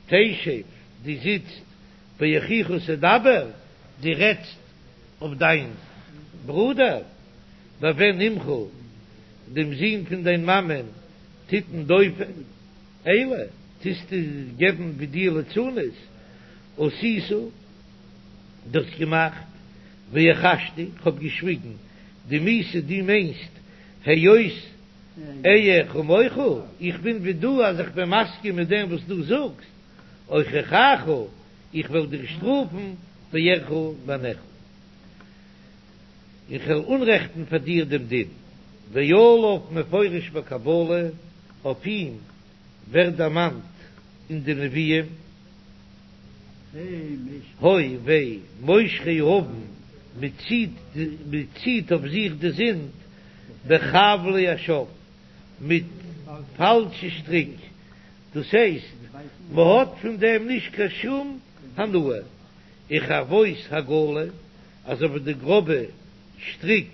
תשב, דו זיצט, באחיך תדבר, דו רעדסט אויף דיין ברודער, בבן אמך, דעם זון פון דיין מאמען, תתן דופי, אלה, טוסטו געבן ווי דיר ליצנות, עשית, דו האסט געמאכט, והחשתי, כ'האב געשוויגן, דמית דו מיינסט, היות אהיה כמוך, איך בין ווי דו אז איך בין מסכים מיט דעם וואס דו זאגסט, אוכיחך, איך וועל דיר שטראפן, ואראך בעיניך, איך וועל אנרעכטן פאר דיר דעם דין, ועליו מפורש בקבלה, אויף אים ווערט דערמאנט אין די נביאים, הוי וויי מושכי העון, מען ציט מען ציט אויף זיך די זינד בחבלי השוא, מיט פאלשע שטריק, דאס הייסט מען האט פון דעם נישט קיין שום הנאה, וכחרבות העגלה, אזוי ווי די גראבע שטריק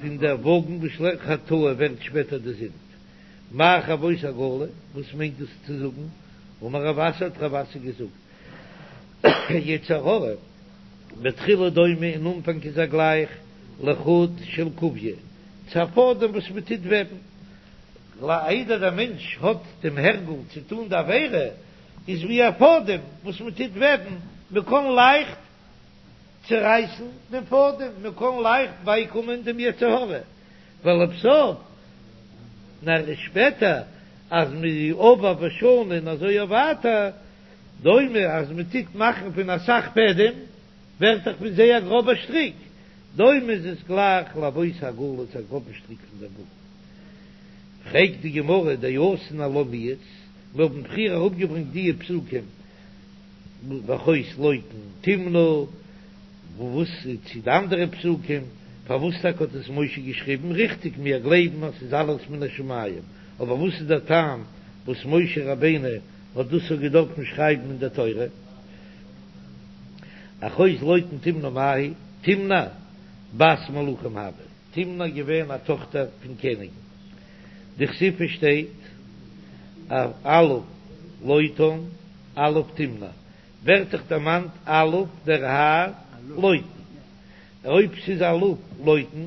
פון דער וואגן וואס שלעפט חטאה ווערט שפעטער די זינד. מאי חרבות העגלה, וואס מיינט דאס צו זאגן? אמר רב אסי האט רב אסי געזאגט, יצר הרע בתחילה דומה אין אנפאנג איז ער גלייך לחוט של קוביא, צו א פאדעם וואס מען טוט וועבן, איידער דער מענטש האט דעם הרגל צו טון די עבירה, איז ווי א פאדעם וואס מען טוט וועבן, מען קען לייכט צערייסן דעם פאדעם, מען קען לייכט בייקומען דעם יצר הרע, ולבסוף, נאר שפעטער אז מ'איז עבר ושנה און אזוי אויף ווייטער, דומה אז מען טוט מאכן פון אסאך פעדעם, ווערט דאך פון זיי א גראבער שטריק, דומה איז עס גלייך לחרבות העגלה צו א גראבן שטריק פון דער וואגן. פרעגט די גמרא דאתאן עלה מיהת, מיר האבן פריער אראפגעברענגט דיע פסוקים ואחות לוטן תמנע, וואס צו די אנדערע פסוקים, פארוואס טאקע האט עס משה געשריבן? ריכטיג, מיר גלייבן אז ס'איז אלעס מן השמים, אבער וואס איז דער טעם וואס משה רבינו האט דאס אויך געדארפן שרייבן אין דער תורה? אחות לוטן תמנע מאי היא? תמנע בת מלכים הואי, תמנע געווען א טאכטער פון קעניגן, דכתיב שטייט אלוף לוטן אלוף תמנע, ווערט דאך דערמאנט אלוף דער האר לוטן, אויב ס'איז אלוף לוטן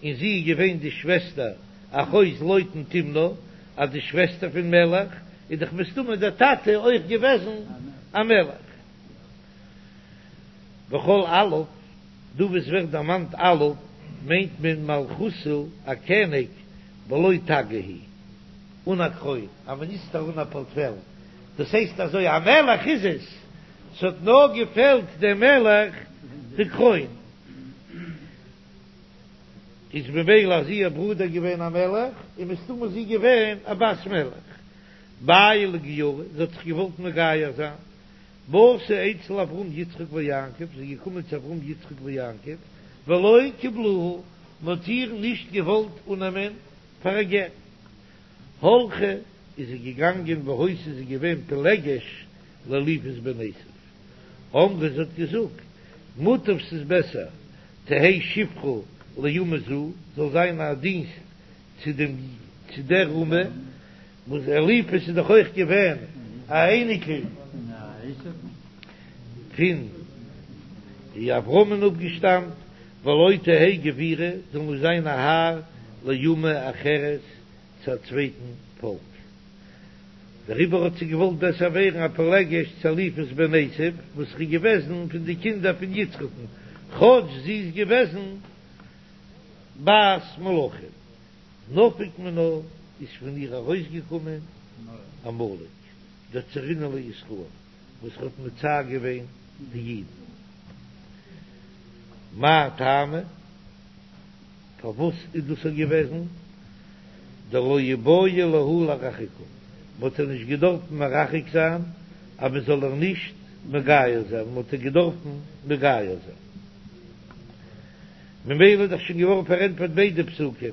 און זי איז געווען די שוועסטער אחות לוטן תמנע, אז די שוועסטער פון מלך, איז דאך מסתמא דער טאטע אויך געוועזן א מלך. וכל אלוף, דא וואו עס ווערט דערמאנט אלוף מיינט מען מלכותא א קעניג בלא תגא הוא, אן א קרוין, א מיניסטער אן א פארטפעל, דאס הייסט אזוי א מלך איז עס, ס'האט נאר געפעלט דעם מלך די קרוין, איז ממילא אז איר ברודער געווען א מלך, איז מסתמא זי געווען א בת מלך. בעיא לגיורי, זי האט זיך געוואלט מגייר זיין, באתה אצל אברהם יצחק ויעקב, זי איז געקומען צו אברהם יצחק ויעקב, ולא קיבלוה, מען האט איר נישט געוואלט אננעמען פאר א גר. הלכה איז זי געגאנגען והיתה איז זי געווען פילגש לאליפז בן עשו, אמרה זי האט געזאגט, מוטב ס'איז בעסער תהא שפחה לאומה זו, זאל זיין א דינסט צו דעם צו דער אומה, וואס אליפז איז דאך אויך געווען א אייניקל פון אברהמ'ן אפגעשטאמט, ולא תהא גבירה, זאל נישט זיין א האר לאומה אחרת צו א צווייטן פאלק. דעריבער האט זי געוואלט בעסער ווערן א פילגש צו אליפז בן עשו, וואס איז געוועזן פון די קינדער פון יצחק'ן, כאטש זי איז געוועזן בת מלכים. נפק מינה איז פון איר ארויסגעקומען עמלק, דצערינהו לישראל, וואס האט מצער געווען די אידן. מאי טעמא? פארוואס איז דאס אזוי געוועזן? דלא איבעי להו לרחוקה, מען האט איר נישט געדארפן מרחק זיין אז מען זאל איר נישט מגייר זיין, מען האט איר געדארפן מגייר זיין. ממילא איז דאך שוין געווארן פארענטפערט ביידע פסוקים,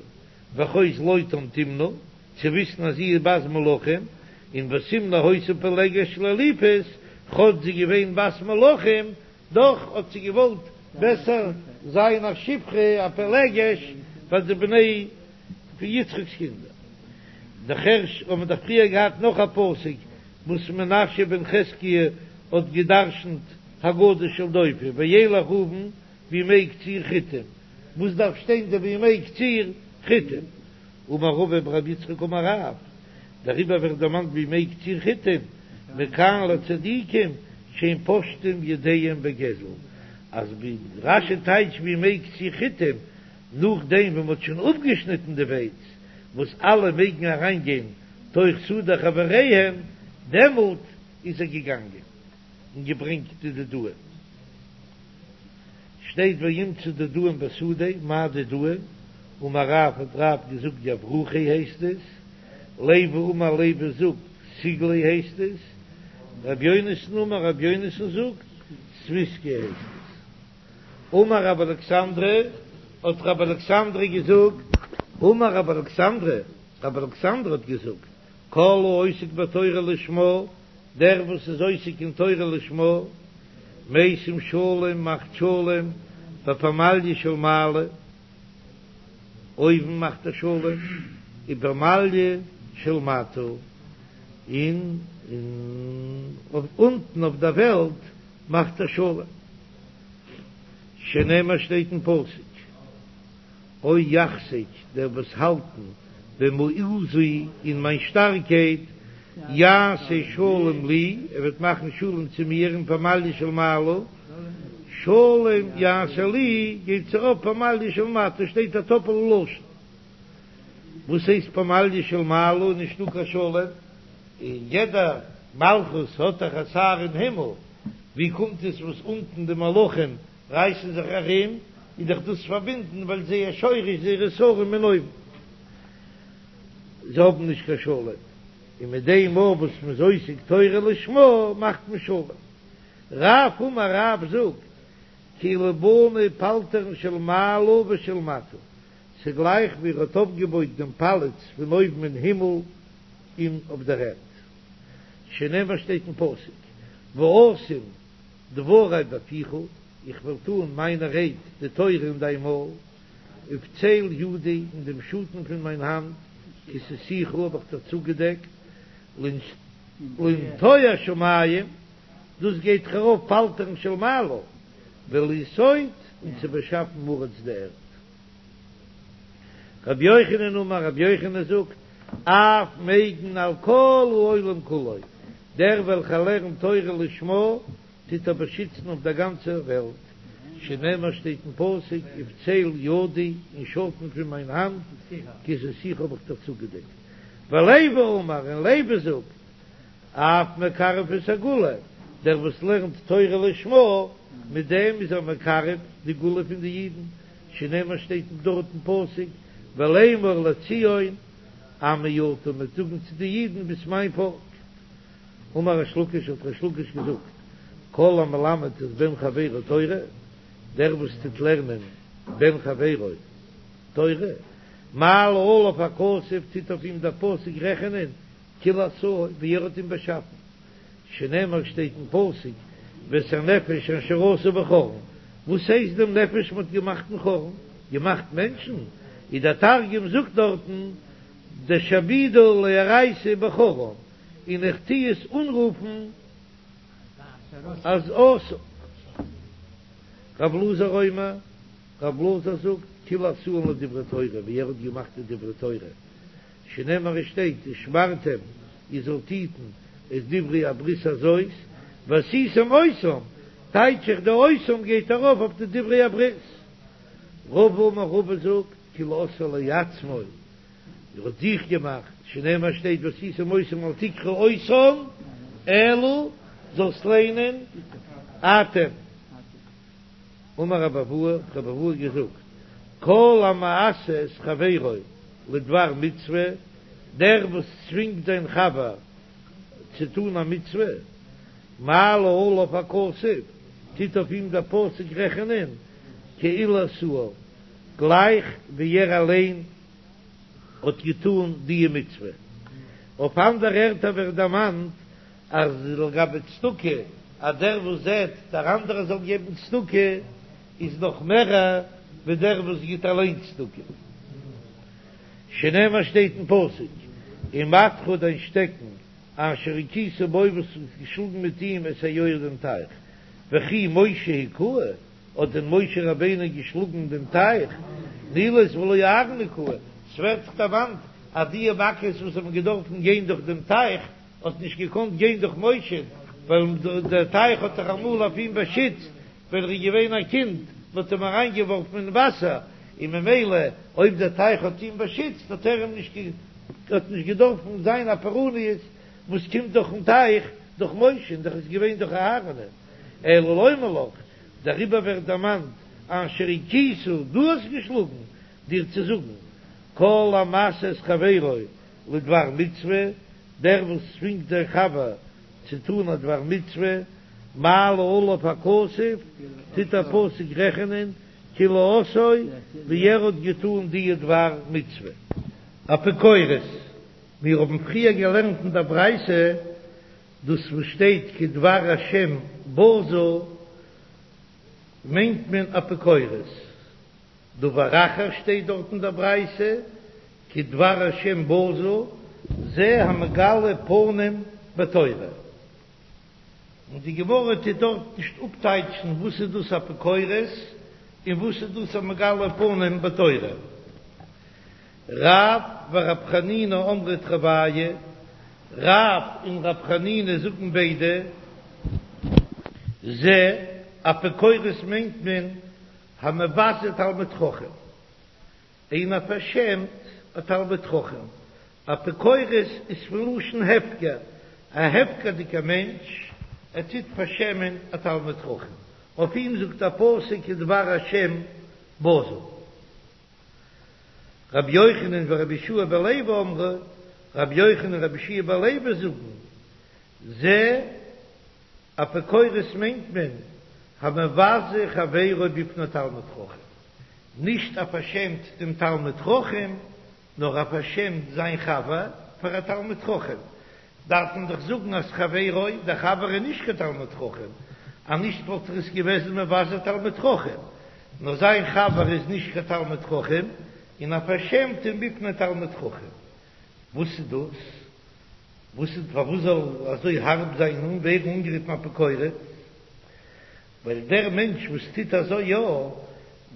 ואחות לוטן תמנע, צו וויסן אז זי איז בת מלכים, און ותמנע היתה פילגש לאליפז, כאטש זי איז געווען בת מלכים, דאך האט זי געוואלט בעסער זיין א שפחה א פילגש פאר די בני פון יצחק'ס קינדער. נאכהער האבן מיר דאך פריער געהאט נאך א פסוק וואס מנשה בן חזקיה האט גע'דרש'נט הגדה של דופי וילך ראובן בימי קציר חיטים, וואס דארף שטיין די בימי קציר חיטים? אמר רבא בר רב יצחק אמר רב, דעריבער ווערט דערמאנט בימי קציר חיטים, מכאן לצדיקים שאין פושטים ידיהם בגזל, אז ווי רש"י טייטשט בימי קציר חיטים, נאכדעם ווען מ'האט שוין אפגעשניטן די ווייץ, וואס אלע מעגן אריינגיין תוך שדה חבריהם, דעמאלט איז ער געגאנגען און געברענגט די דודאים. שטייט וימצא דודאים בשדה, מאי דודאים? אמר רב האט רב געזאגט יברוכי הייסט עס, לוי אמר לוי זאגט סיגלי הייסט עס, רבי יונתן אמר רבי יונתן זאגט ספיסקי הייסט עס. אמר רב אלכסנדרי האט רב אלכסנדרי געזאגט. אמר רב אלכסנדרי, רב אלכסנדרי האט געזאגט, כל העוסק בתורה לשמה, דער וואס איז עוסק אין תורה לשמה, משים שלום מאכט שלום בפמליא של מעלה, אויבן מאכט ער שלום, ובפמליא של מטה, און אונטן אויף דער וועלט מאכט ער שלום, שנאמר שטייט אין פסוק. או יחזיק, דער וואס האלטן במעוזי אין מיין שטארקייט, יעשה שלום לי, ער וועט מאכן שלום צו מיר אין פמליא של מעלה, שלום יעשה לי, גייט ארויף פמליא של מטה, שטייט א טאפל לשון. וואס הייסט פמליא של מעלה איז נישטא קיין שלום, און יעדע מלכות האט דאך א שר אין הימל, ווי קומט עס וואס אונטן די מלכים רייסן זיך ארום, איז דאך דאס פארבינדן ווייל זייער שורש זייערע שרים אין אויבן, זיי האבן נישט קיין שלום, און מיט דעם מאל וואס מ'איז עוסק תורה לשמה מאכט מען שלום. רב אמר רב זאגט, כאילו בנה פלטרין של מעלה ושל מטה, ס'גלייך ווי ער האט אויפגעבויט דעם פאלאץ פון אויבן אין הימל און אויף דער ערד, שנאמר שטייט אין פסוק, ואשים דברי בפיך, איך וועל טאן מיינע רייד, די תורה אין דיין מויל, ובצל ידי, אין דעם שאטן פון מיין האנט, כסיתיך האב איך דיר צוגעדעקט, לנטוע שמים, דאס גייט דאך ארויף פלטרין של מעלה, ולסוד, און צו באשאפן ארץ די ערד. רבי יוחנן אמר, רבי יוחנן זאגט, אף מגין על כל העולם כולו, דער וועלכער לערנט תורה לשמה, טוט ער באשיצן אויף דער גאנצער וועלט, שנאמר שטייט אין פסוק, ובצל ידי, אין שאטן פון מיין האנט, כסיתיך האב איך דיך צוגעדעקט. ולוי אמר, און לוי זאגט, אף מקרב את הגאולה, דער וואס לערנט תורה לשמה, מיט דעם איז ער מקרב די גאולה פון די אידן, שנאמר שטייט דארט אין פסוק, ולאמר לציון, עמי אתה, מ'וועט זאגן צו די אידן ביסט מיין פאלק. אמר ריש לקיש האט ריש לקיש געזאגט, כל המלמד את בן חברו תורה, דער וואס טוט לערנען בן חברו תורה, מעלה עליו הכתוב טוט אויף אים דער פסוק רעכענען, כאילו עשאו, ווי ער האט אים באשאפן, שנאמר שטייט אין פסוק, ואת הנפש אשר עשו בחרן, וואס הייסט דעם נפש מ'האט געמאכט אין חרן? געמאכט מענטשן? איז דער תרגום זאגט דארטן דשעבידא לאורייתא בחרן, און איך טוה עס אנרופן אז עשו. רב אלעזר אומר, רב אלעזר זאגט, כאילו עשאן לדברי תורה, ווי ער האט געמאכט די דברי תורה, שנאמר עס שטייט ושמרתם איר זאלט היטן את דברי הברית הזאת ועשיתם אותם, טייטש איך די אותם גייט ארויף אויף די דברי הברית. רבא אמר רבא זאגט כאילו עשאן לעצמו, ער האט זיך געמאכט, שנאמר שטייט ועשיתם אותם אל תקרי אותם אלא זאלסט ליינען אתם. אמר רבי אבהו, האט רבי אבהו געזאגט, כל המהסה את חברו לדבר מצוה, דער וואס צווינגט זיין חבר צו טון א מצוה, מעלה עליו הכתוב, טוט אויף אים דער פסוק רעכענען, כאילו עשאה, גלייך ווי ער אליין האט געטון די מצוה. אויף אנדערע ערטער ווערט דערמאנט אז לגבי צדקה, אז דער וואס זעט דער אנדערער זאל געבן צדקה, איז נאך מערער ווי דער וואס גיט אליין צדקה. שנאמר שטייט אין פסוק, ומטך דיין שטעקן אשר הכית בו וואס האסט געשלאגן מיט אים את היאור דעם טייך, וכי משה הכהו, האט דען משה רבינו געשלאגן דעם טייך נילוס ולא אהרן הכהו, ס'ווערט דאך דערמאנט אז די מכות וואס האבן געדארפן גיין דורך דעם טייך האט נישט געקאנט גיין דורך משה, ווייל דער טייך האט דאך אמאל אויף אים באשיצט ווען ער איז געווען א קינד, מען האט אים אריין געווארפן אין וואסער, און ממילא אויב דער טייך האט אים באשיצט האט ער אים נישט האט נישט געדארפן זיין א פורעניות וואס קומט דורכן טייך דורך משה, און דאך איז געווען דורך אהרן'ען, אלא לומר לך, דעריבער ווערט דערמאנט אשר הכית, דו האסט געשלאגן, דיר צו זאגן, כל המהסה את חברו לדבר מצוה, דער וואס צווינגט זיין חבר צו טאן א דבר מצוה, מעלה עליו הכתוב, טוט דער פסוק רעכענען כאילו עשאו, ווי ער האט געטאן די דבר מצוה. אפיקורס, מיר האבן פריער געלערנט אין דער ברייתא דאס וואס שטייט כדבר השם בזה מיינט מען אפיקורס. דבר אחר שטייט דארט אין דער ברייתא, כדבר השם בזה, זה המגלה פנים בתורה. און די גמרא טוט דארט נישט אפטייטשן וואס איז דאס אפיקורס און וואס איז דאס המגלה פנים בתורה. רב ורב חנינא אמרי תרוייהו, רב און רב חנינא זאגן ביידע, זה אפיקורס מיינט מען המבזה תלמיד חכם, איינער פארשעמט א תלמיד חכם, אפיקורס איז פון לשון הפקר, א הפקר'דיגער מענטש, ער טוט פארשעמען א תלמיד חכם, אויף אים זאגט דער פסוק כדבר השם בזה. רבי יוחנן ורבי יהושע בן לוי אמרו, רבי יוחנן און רבי יהושע בן לוי זאגן, זה אפיקורס מיינט מען המבזה חברו בפני תלמיד חכם, נישט ער פארשעמט דעם תלמיד חכם, נאר ער פארשעמט זיין חבר פאר א תלמיד חכם, דארף מען דאך זאגן אז חברו, דער חבר איז נישט קיין תלמיד חכם, אז נישט וואלט ער עס געוועזן מבזה תלמיד חכם, נאר זיין חבר איז נישט קיין תלמיד חכם, און ער פארשעמט אים בפני תלמיד חכם. וואס איז דאס? וואס איז פארוואס זאל אזוי הארב זיין און ווערן אנגערופן אפיקורס? ווייל דער מענטש וואס טוט אזוי יא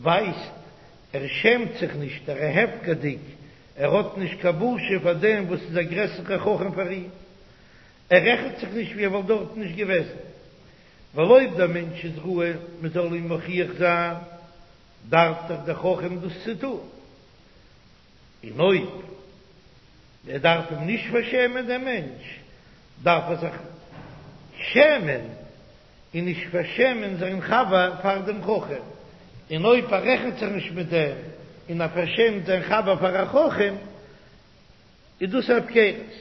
ווייסט, ער שעמט זיך נישט, ער איז הפקר'דיג, ער האט נישט קיין בושה פאר דעם וואס איז א גרעסערע חכם פאר אים, ער רעכנט זיך נישט ווי ער וואלט דארט נישט געוועזן, ווייל אויב דער מענטש איז ראוי מען זאל אים מוכיח זיין, דארף דאך דער חכם דאס צו טון. און אויב ער דארף אים נישט פארשעמען דעם מענטש, דארף ער זיך שעמען און נישט פארשעמען זיין חבר פאר דעם חכם, און אויב ער רעכנט זיך נישט מיט דעם און ער פארשעמט זיין חבר פאר א חכם, איז דאס הפקרות.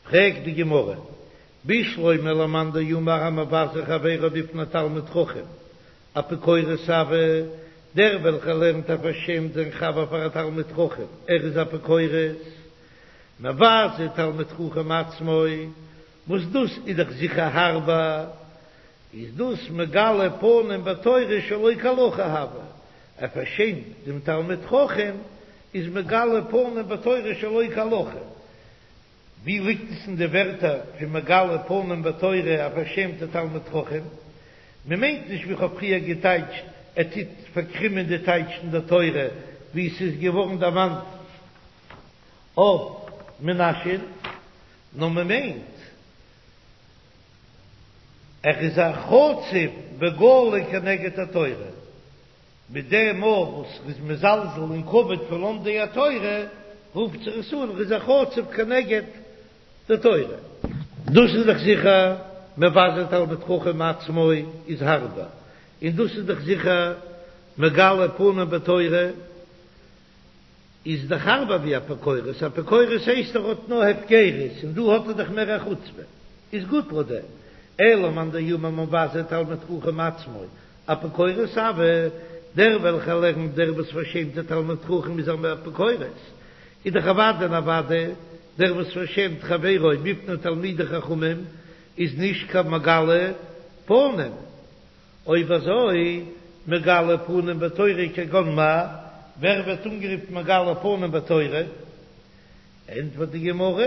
פרעגט די גמרא, בשלמא למאן דאמר המבזה חברו בפני תלמיד חכם, אפיקורס הוי, דער וועלכער לערנט ער פארשעמט זיין חבר פאר א תלמיד חכם, ער איז אפיקורס, מבזה תלמיד חכם עצמו, וואס דאס איז דאך זיכער הארבער, איז דאס מגלה פנים בתורה שלא כהלכה הוי, ער פארשעמט דעם תלמיד חכם, איז מגלה פנים בתורה שלא כהלכה. ווי ליגט עס אין די ווערטער פון מגלה פנים בתורה א פארשעמטע תלמיד חכם? מען מיינט נישט ווי כ'האב פריער געטייטשט, ער טוט פארקרימען די טייטש אין דער תורה ווי עס איז געווארן דערמאנט אויף מנשה'ן, נאר מען מיינט ער איז א חצוף בגלוי כנגד התורה. מיט דעם מאל וואס ר'איז מזלזל אין כבוד פון לומדי התורה, רופט זיך עס אן ר'איז א חצוף כנגד די תורה. דאס איז דאך זיכער מבזה תלמיד חכם עצמו איז הארבער, און דאס איז דאך זיכער מגלה פנים בתורה איז דאך הארבער ווי אפיקורס, אפיקורס הייסט ער האט נאר הפקרות און דא האט ער דאך מער א חוצפה, איז גוט לויט דעם, אלא מאן דאמר מבזה תלמיד חכם עצמו אפיקורס הוי, דער וועלכער לערנט דער וואס פארשעמט די תלמיד חכם איז אן אפיקורס, איז דאך אוודאי און אוודאי דער וואס פארשעמט חברו בפני תלמידי חכמים איז נישט קיין מגלה פנים, אויב אזוי מגלה פנים בתורה כגון מה, ווער ווערט אנגערופן מגלה פנים בתורה? ענטפערט די גמרא,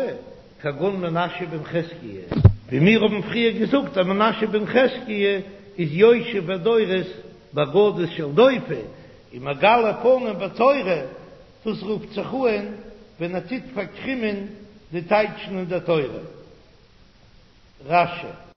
כגון מנשה בן חזקיה, ווי מיר האבן פריער געזאגט אז מנשה בן חזקיה איז יושב ודורס באגדות של דופי, און מגלה פנים בתורה, דאס רופט זיך אן ווען ער טוט פארקרימען די טייטשן אין דער תורה. רש"י.